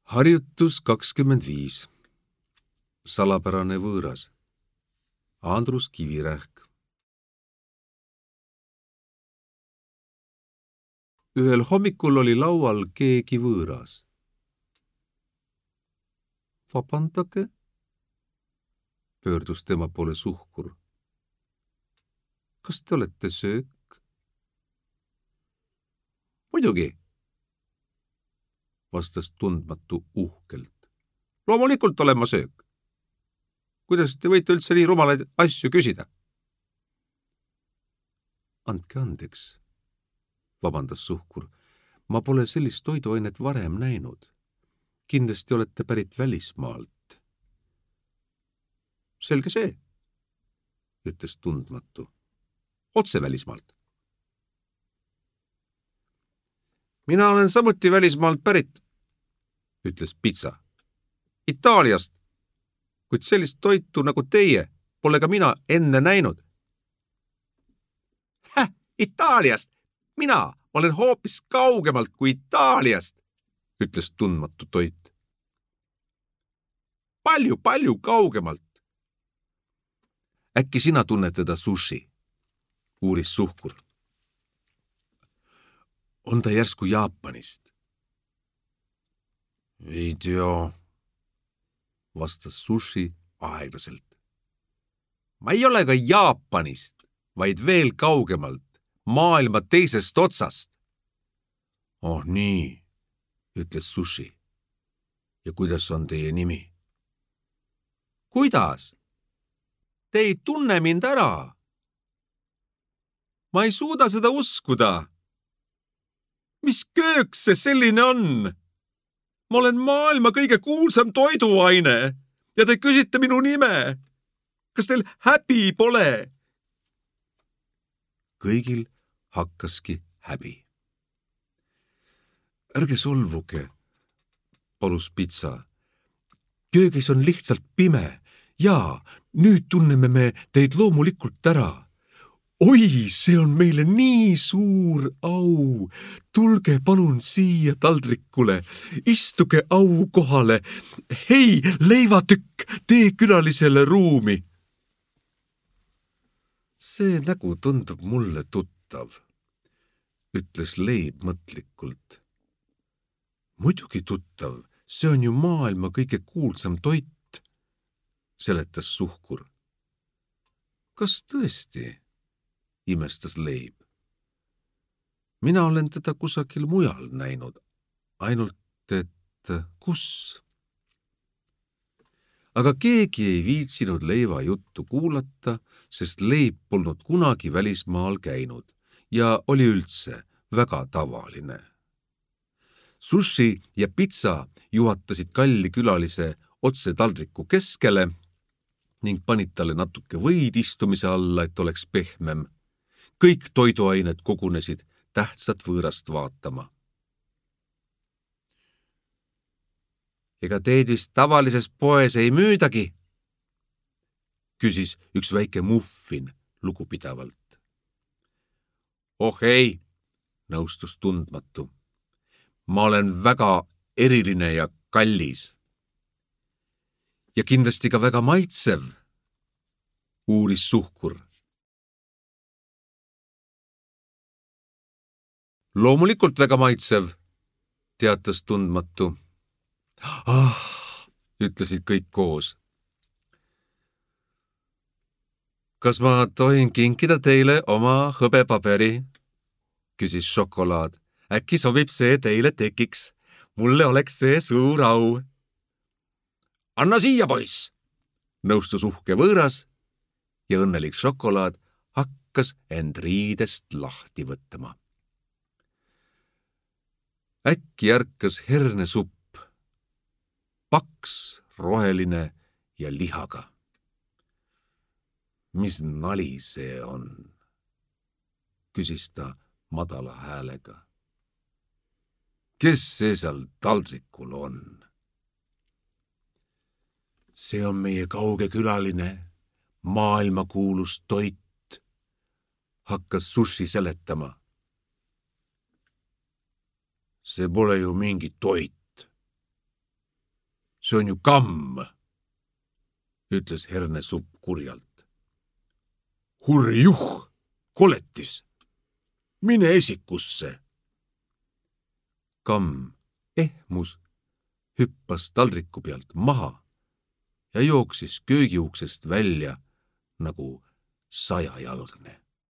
Harjutus 25. Salapärane võõras. Andrus Kivirähk. Ühel hommikul oli laual keegi võõras. Vabandage, pöördus tema poole Suhkur. Kas te olete söök? Muidugi, vastas tundmatu uhkelt. Loomulikult olen ma söök. Kuidas te võite üldse nii rumalaid asju küsida? Andke andeks, vabandas Suhkur. Ma pole sellist toiduainet varem näinud. Kindlasti olete pärit välismaalt. Selge see, ütles tundmatu. Otse välismaalt. Mina olen samuti välismaalt pärit, ütles Pitsa. Itaaliast, kuid sellist toitu nagu teie pole ka mina enne näinud. Itaaliast! Mina olen hoopis kaugemalt kui Itaaliast, ütles tundmatu toit. Palju kaugemalt. Äkki sina tunned teda sushi, uuris Suhkur. On ta järsku Jaapanist? Ei tea, vastas sushi aeglaselt. Ma ei ole ka Jaapanist, vaid veel kaugemalt, maailma teisest otsast. Oh nii, ütles sushi. Ja kuidas on teie nimi? Kuidas? Te ei tunne mind ära. Ma ei suuda seda uskuda. Mis kööks see selline on? Ma olen maailma kõige kuulsam toiduaine ja te küsite minu nime. Kas teil häbi pole? Kõigil hakkaski häbi. Ärge solvuge, palus Pitsa. Köögis on lihtsalt pime. Jaa, nüüd tunneme me teid loomulikult ära. Oi, see on meile nii suur au. Tulge palun siia taldrikule. Istuge au kohale. Hei, leivatükk, tee külalisele ruumi. See nägu tundub mulle tuttav, ütles leib mõtlikult. Muidugi tuttav, see on ju maailma kõige kuulsam toit, seletas Suhkur. Kas tõesti? Imestas leib. Mina olen teda kusagil mujal näinud, ainult et kus? Aga keegi ei viitsinud leiva juttu kuulata, sest leib polnud kunagi välismaal käinud ja oli üldse väga tavaline. Sushi ja Pitsa juhatasid kalli külalise otse taldriku keskele ning panid talle natuke võid istumise alla, et oleks pehmem. Kõik toiduained kogunesid tähtsat võõrast vaatama. Ega teid vist tavalises poes ei müüdagi? Küsis üks väike muffin lugupidavalt. Oh ei, nõustus tundmatu. Ma olen väga eriline ja kallis. Ja kindlasti ka väga maitsev, uuris Suhkur. Loomulikult väga maitsev, teatas tundmatu. Ütlesid kõik koos. Kas ma tohin kinkida teile oma hõbepaberi? Küsis šokolaad. Äkki sobib see teile tekiks. Mulle oleks see suur au. Anna siia, poiss! Nõustus uhke võõras ja õnnelik šokolaad hakkas end riidest lahti võtma. Äkki ärkas hernesupp, paks, roheline ja lihaga. Mis nali see on? Küsis ta madala häälega. Kes see seal taldrikul on? See on meie kauge külaline, maailmakuulus toit, hakkas sushi seletama. See pole ju mingi toit, see on ju kamm, ütles hernesupp kurjalt. Hurjuh, koletis, mine esikusse. Kamm ehmus, hüppas taldriku pealt maha ja jooksis köögiuksest välja nagu sajajalgne.